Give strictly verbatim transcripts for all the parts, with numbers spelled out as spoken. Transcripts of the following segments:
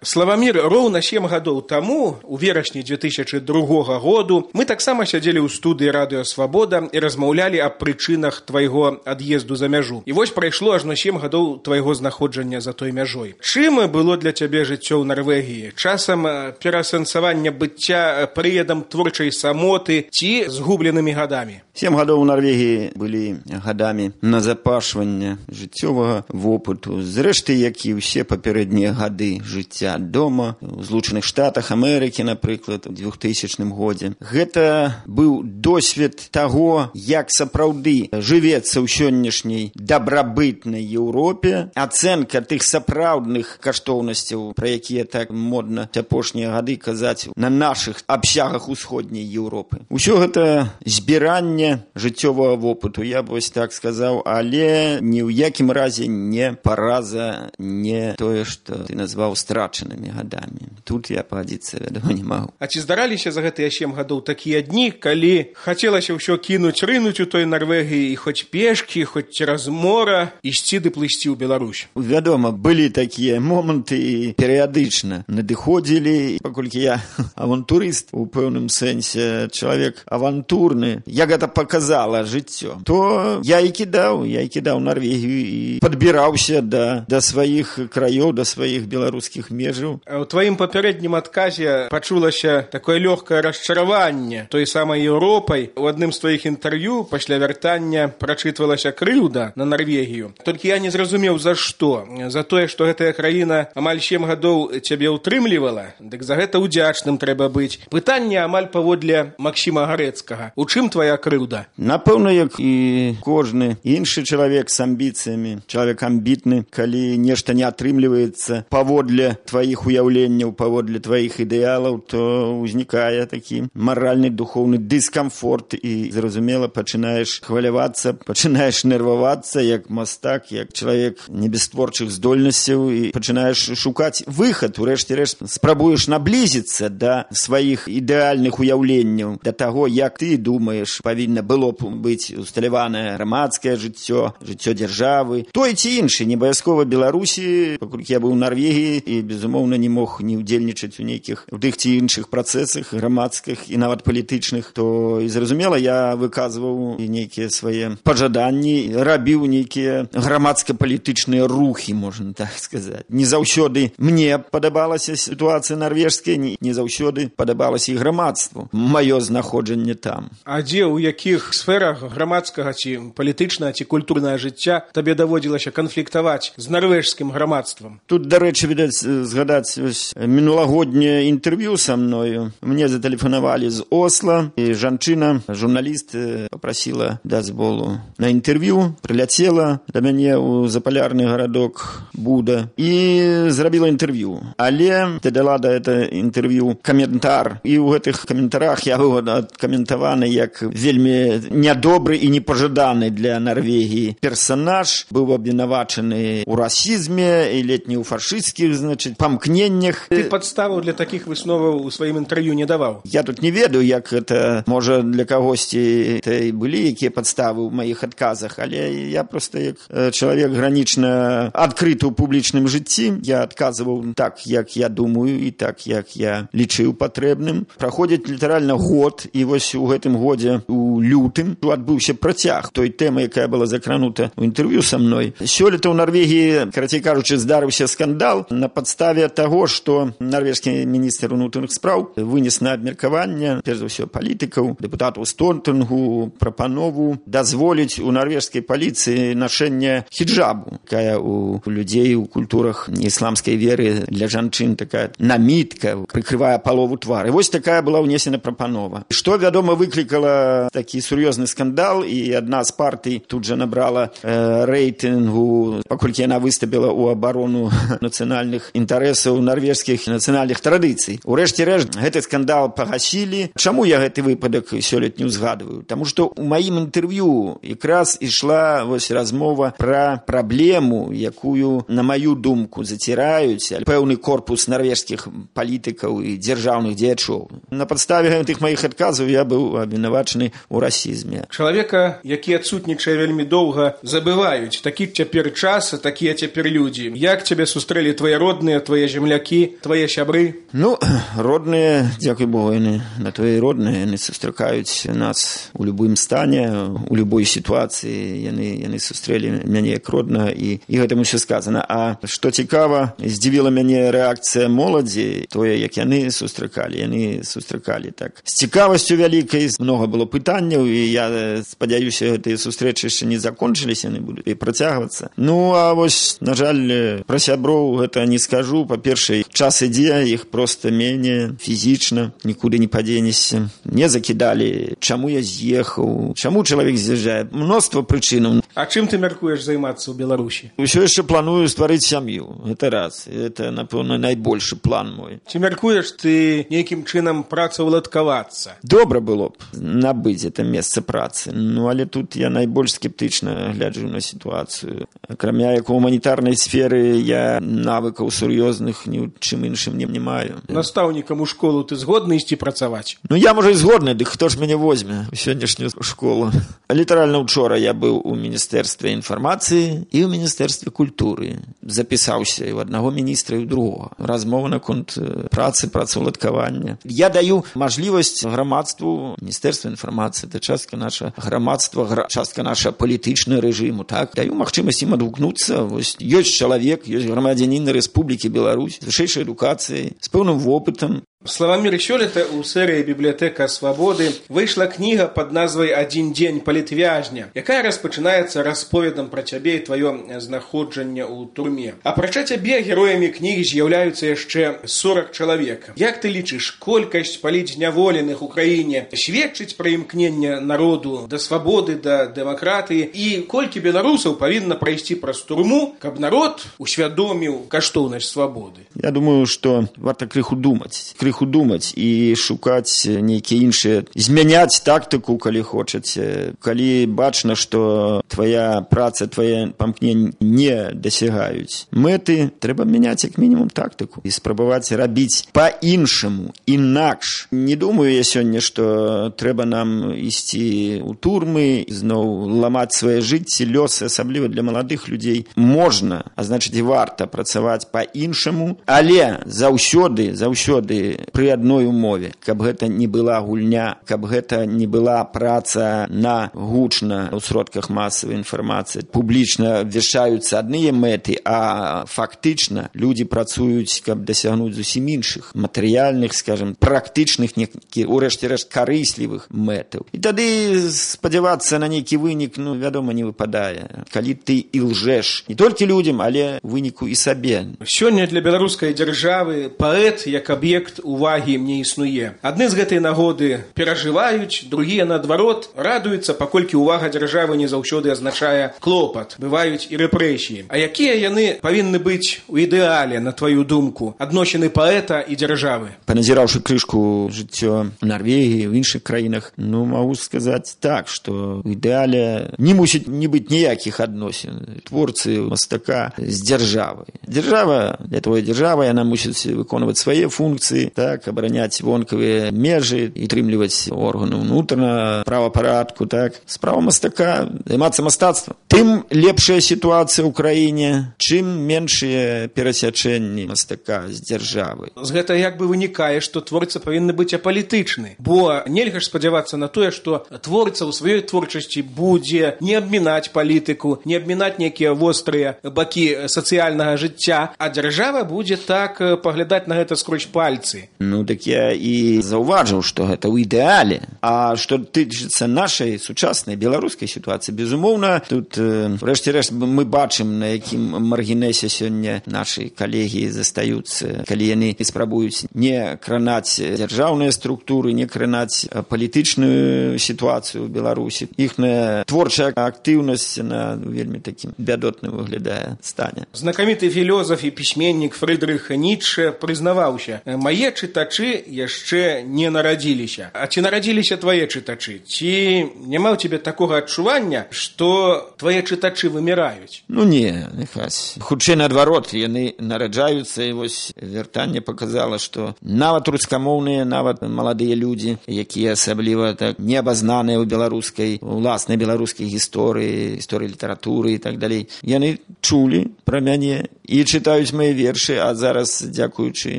Славамір, роўна сем гадоў таму, у верасні дзве тысячы другога году, мы таксама сядзелі ў студыі Радыё Свабода і размаўлялі аб прычынах твайго ад'езду за мяжу. І вось прайшло ажно сем гадоў твайго знаходжання за той мяжой. Чым было для цябе жыццё ў Нарвегіі? Часам пераасэнсавання быцця прыядам творчай самоты ці згубленымі гадамі? Сем гадоў у Нарвегіі былі гадамі назапашвання жыццёвага вопыту. Зрэшты, як і ўсе папярэднія гады жыцця дома, у Злучаных Штатах Амерыкі, напрыклад, у двухтысячным годзе. Гэта быў досвед таго, як сапраўды жывецца ў сённяшняй дабрабытнай Еўропе, ацэнка тых сапраўдных каштоўнасцяў, пра якія так модна апошнія гады казаць на нашых абсягах усходняй Еўропы. Усё гэта збіранне жыццёвага вопыту, я б вось так сказаў, але ні ў якім разе не параза, не тое, што ты назваў страчанымі гадамі. Тут я пагадзіцца, вядома, не магу. А ці здараліся за гэтыя сем гадоў такія дні, калі хацелася ўсё кінуць, рынуць у той Нарвегіі і хоць пешкі, хоць цераз мора ісці ды плысці ў Беларусь? Вядома, былі такія моманты і перыядычна надыходзілі, паколькі я авантурыст у пэўным сэнсе, чалавек авантурны, як гэта показала жыццё, то я і кідаў, я і кідаў Нарвегію і падбіраўся да, да сваіх краёў, да сваіх беларускіх межаў. У тваім папярэднім адказе пачулася такое лёгкае расчараванне той самай Еўропай. У адным з тваіх інтэрв'ю пасля вяртання прачытвалася крыўда на Нарвегію. Толькі я не зразумеў, за што. За тое, што гэтая краіна амаль сем гадоў цябе ўтрымлівала, дык за гэта ўдзячным трэба быць. Пытанне амаль паводле Максіма Гарэцкага. У чым твая крыўда? Напэўна, як і кожны іншы чалавек з амбіцыямі, чалавек амбітны, калі нешта не атрымліваецца паводле тваіх уяўленняў, паводле тваіх ідэалаў, то ўзнікае такі маральны, духоўны дыскамфорт і, зразумела, пачынаеш хвалявацца, пачынаеш нервавацца, як мастак, як чалавек не без творчых здольнасцяў і пачынаеш шукаць выхад, урэшце рэшт спрабуеш наблізіцца да сваіх ідэальных уяўленняў, да таго, як ты думаеш, павінна было б быць усталяванае грамадскае жыццё, жыццё дзяржавы, той ці іншы, не абавязкова Беларусі, паколькі я быў у Нарвегіі і, безумоўна, не мог не ўдзельнічаць у нейкіх у тых ці іншых працэсах грамадскіх і нават палітычных, то і зразумела, я выказваў нейкія свае пажаданні, рабіў нейкія грамадска-палітычныя рухі, можна так сказаць. Не заўсёды мне падабалася сітуацыя нарвежская, не заўсёды падабалася і грамадству маё знаходжанне там. А дзе, у якіх сферах грамадскага ці палітычнага ці культурнага жыцця табе даводзілася канфліктаваць з нарвежскім грамадствам? Тут, дарэчы, відаць, згадаць мінулагодняе інтэрв'ю са мною. Мне затэлефанавалі з Осла, і жанчына, журналіст, папрасіла дазволу на інтэрв'ю, прыляцела да мяне ў запалярны гарадок Буда і зрабіла інтэрв'ю. Але ты дала да гэта інтэрв'ю каментар, і ў гэтых каментарах я быў адкаментаваны як вельмі нядобры і непажаданы для Нарвегіі персанаж, быў абвінавачаны ў расізме і ледь не ў фашысцкіх, значыць, памкненнях. Ты падставаў для такіх высноваў у сваім інтэрв'ю не даваў? Я тут не ведаю, як гэта, можа, для кагосьці і былі якія падставы ў маіх адказах, але я проста як чалавек гранічна адкрыты ў публічным жыцці, я адказваў так, як я думаю, і так, як я лічыў патрэбным. Праходзіць літаральна год, і вось у гэтым годзе у лютым адбыўся працяг той тэмы, якая была закранута ў інтэрв'ю са мной. Сёлета ў Нарвегіі, карацей кажучы, здарыўся скандал на падставе таго, што нарвежскі міністр унутраных спраў вынес на абмеркаванне, перш за ўсё, палітыкаў, дэпутатаў Столтенгу прапанову дазволіць у нарвежскай паліцыі нашэнне хіджабу, якая у людзей у культурах ісламскай веры для жанчын такая намітка, прыкрывае палову твары. Вось такая была ўнесена прапанова. Што, вядома, выклікала такі сур'ёзны скандал, і адна з партый тут жа набрала э, рэйтынгу, паколькі яна выступила ў абарону нацыянальных інтарэсаў нарвежскіх нацыянальных традыцый. Урэшце рэшт, гэты скандал пагасілі. Чаму я гэты выпадак сёлетню узгадваю? Таму што ў маім інтэрв'ю якраз ішла вось размова пра праблему, якую, на маю думку, заціраюць пэўны корпус нарвежскіх палітыкаў і дзяржаўных дзеячоў. На падставе гэтых маіх адказаў я быў абвінавачаны ў у расізме. Чалавека, які адсутнічае вельмі доўга, забываюць. Такі цяпер час, такія цяпер людзі. Як цябе сустрэлі твае родныя, твае землякі, твае сябры? Ну, родныя, дзякуй Богу, яны на твае родныя, яны сустракаюць нас у любым стане, у любой сітуацыі, яны, яны сустрэлі мяне як роднага, і, і гэтым усё сказана. А што цікава, здзівіла мяне рэакцыя моладзі, тое, як яны сустракалі, яны сустракалі так. З цікавасцю вялікай, многа было пытанняў, і я спадзяюся, гэтыя сустрэчы яшчэ не закончыліся, яны будуць і працягвацца. Ну, а вось, на жаль, пра сяброў гэта не скажу. Па-першае, час ідзе, іх проста менее фізічна, нікуды не падзенешся. Не закідалі, чаму я з'ехаў, чаму чалавек з'язджае. Мноства прычынаў. А чым ты мяркуеш займацца ў Беларусі? Усё яшчэ планую стварыць сям'ю. Гэта раз. Гэта, напэўна, найбольшы план мой. Ці мяркуеш ты нейкім чынам працаўладкавацца? Добра было б набыць гэта месца працы. Ну, але тут я найбольш скептычна гляджу на сітуацыю. Акрамя як у гуманітарнай сферы я навыкаў сур'ёзных ні ў чым іншым не, не маю. Настаўнікам у школу ты згодны ісці працаваць? Ну, я, можа, і згодны, дык хто ж мяне возьме у сённяшнюю школу? Літаральна учора я быў у Міністэрстве інфармацыі і ў Міністэрстве культуры. Запісаўся і ў аднаго міністра, і ў другога. Размова наконт працы, працаўладкавання. Я даю мажлівасць грамадству, Міністэрства інфармацыі, это частка наша грамадства, частка наша палітычнага рэжыму, так? Даю магчымасць ім адгукнуцца. Вось ёсць чалавек, ёсць грамадзянін Рэспублікі Беларусь з вышэйшай адукацыяй, з пэўным вопытам. Славамір, сёлета ў серыі «Бібліятэка свабоды» выйшла кніга пад назвай «Адзін дзень палітвязня», якая распачынаецца расповедам пра цябе і тваё знаходжанне ў турме. Апрача цябе героямі кнігі з'яўляюцца яшчэ сорак чалавек. Як ты лічыш, колькасць палітзняволеных у краіне сведчыць пра імкненне народу да свабоды, да дэмакратыі, і колькі беларусаў павінна прайсці праз турму, каб народ усвядоміў каштоўнасць свабоды? Я думаю, што варта крыху думаць. Крыху думаць і шукаць нейкія іншыя, змяняць тактыку, калі хочаце. Калі бачна, што твая праца, твае памкненні не дасягаюць мэты, трэба мяняць як мінімум тактыку і спрабаваць рабіць па-іншаму, інакш. Не думаю я сёння, што трэба нам ісці ў турмы, зноў ламаць свае жыцці, лёсы, асабліва для маладых людзей. Можна, а значыць і варта працаваць па-іншаму, але заўсёды, заўсёды пры адной умове, каб гэта не была гульня, каб гэта не была праца на гучна ў сродках масавай інфармацыі. Публічна абвяшчаюцца адныя мэты, а фактычна людзі працуюць, каб дасягнуць зусім іншых матэрыяльных, скажем, практычных, у рэшце рэшт карыслівых мэтаў. І тады спадзявацца на нейкі вынік, ну, вядома, не выпадае. Калі ты і лжэш не толькі людзям, але выніку і сабе. Сёння для беларускай дзяржавы паэт як аб'ект увагі не існуе. Адны з гэтай нагоды перажываюць, другія, наадварот, радуюцца, паколькі ўвага дзяржавы не заўсёды азначае клопат. Бываюць і рэпрэсіі. А якія яны павінны быць у ідэале, на тваю думку, адносіны паэта і дзяржавы? Паназіраўшы крышку жыццё ў Нарвегіі, ў іншых краінах, ну, магу сказаць так, што ў ідэале не мусіць не быць ніякіх адносін творцы мастака з дзяржавай. Дзяржава, для твоей дзяржавы, яна мусіць выконваць свае функцыі, так, абараняць вонкавыя межы і трымліваць органы ўнутранага правапарадку, так. Справа мастака займацца мастацтвам. Тым лепшая сітуацыя ў краіне, чым меншыя перасячэнні мастака з дзяржавы. З гэта як бы вынікае, што творца павінны быць апалітычны, бо нельга ж спадзявацца на тое, што творца ў сваёй творчасці будзе не абмінаць палітыку, не абмінаць нейкія вострыя бакі сацыяльнага жыцця, а дзяржава будзе так паглядаць на гэта скрозь пальцы. Ну, так я і заўважыў, што гэта ў ідэале. А што тычыцца нашай сучаснай беларускай сітуацыі, безумоўна, тут, рэшце рэшт, мы бачым, на якім маргінэсе сёння нашы калегі застаюцца, калі яны спрабуюць не кранаць дзяржаўныя структуры, не кранаць палітычную сітуацыю ў Беларусі. Іхная творчая актыўнасць на вельмі такім бядотным выглядае стане. Знакаміты філёзаф і пісьменнік Фрыдрых Ніцшэ прызнаваўся: «Мае чытачы яшчэ не нарадзіліся. А ці нарадзіліся твае чытачы? Ці няма ў цябе такога адчування, што твае чытачы выміраюць? Ну не, нехась. Хутчэй наадварот, яны нараджаюцца, і вось вяртанне показала, што нават рускамоўныя, нават маладыя людзі, якія асабліва так неабазнаныя ў беларускай, уласнай беларускай гісторыі, гісторыі літаратуры і так далей, яны чулі пра мяне і чытаюць мае вершы, а зараз, дзякуючы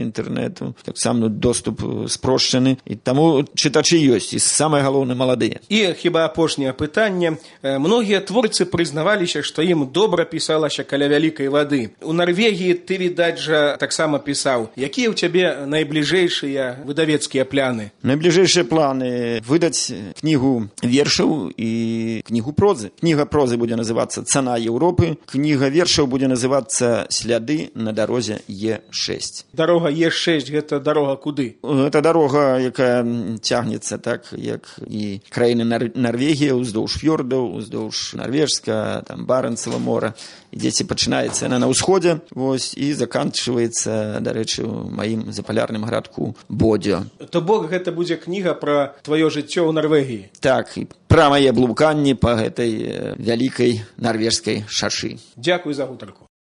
інтэрнэту, таксама доступ спрошчаны, і таму чытачы ёсць, і самае галоўнае маладыя. І хіба апошняе пытанне. Многія творцы прызнаваліся, што ім добра пісалася каля вялікай вады. У Нарвегіі ты, відаць жа, таксама пісаў. Якія ў цябе найбліжэйшыя выдавецкія пляны? Найбліжэйшыя планы выдаць кнігу вершаў і кнігу прозы. Кніга прозы будзе называцца «Цана Еўропы», кніга вершаў будзе называцца «Сляды на дарозе Е шэсць». Дарога Е шэсць – гэта дарога куды? Гэта дарога, якая цягнецца так, як і краіны Нар- Нарвегія, уздоўж фьордаў, уздоўж Нарвежска, там Барэнцева мора. Ідзеце, пачынаецца яна на ўсходзе, вось, і заканчваецца, дарэчы, у маім запалярным гарадку Бодзё. То бок гэта будзе кніга пра тваё жыццё ў Нарвегіі? Так, і пра мае блуканні па гэтай вялікай нарвежскай шашы. Дзякуй за гутарку.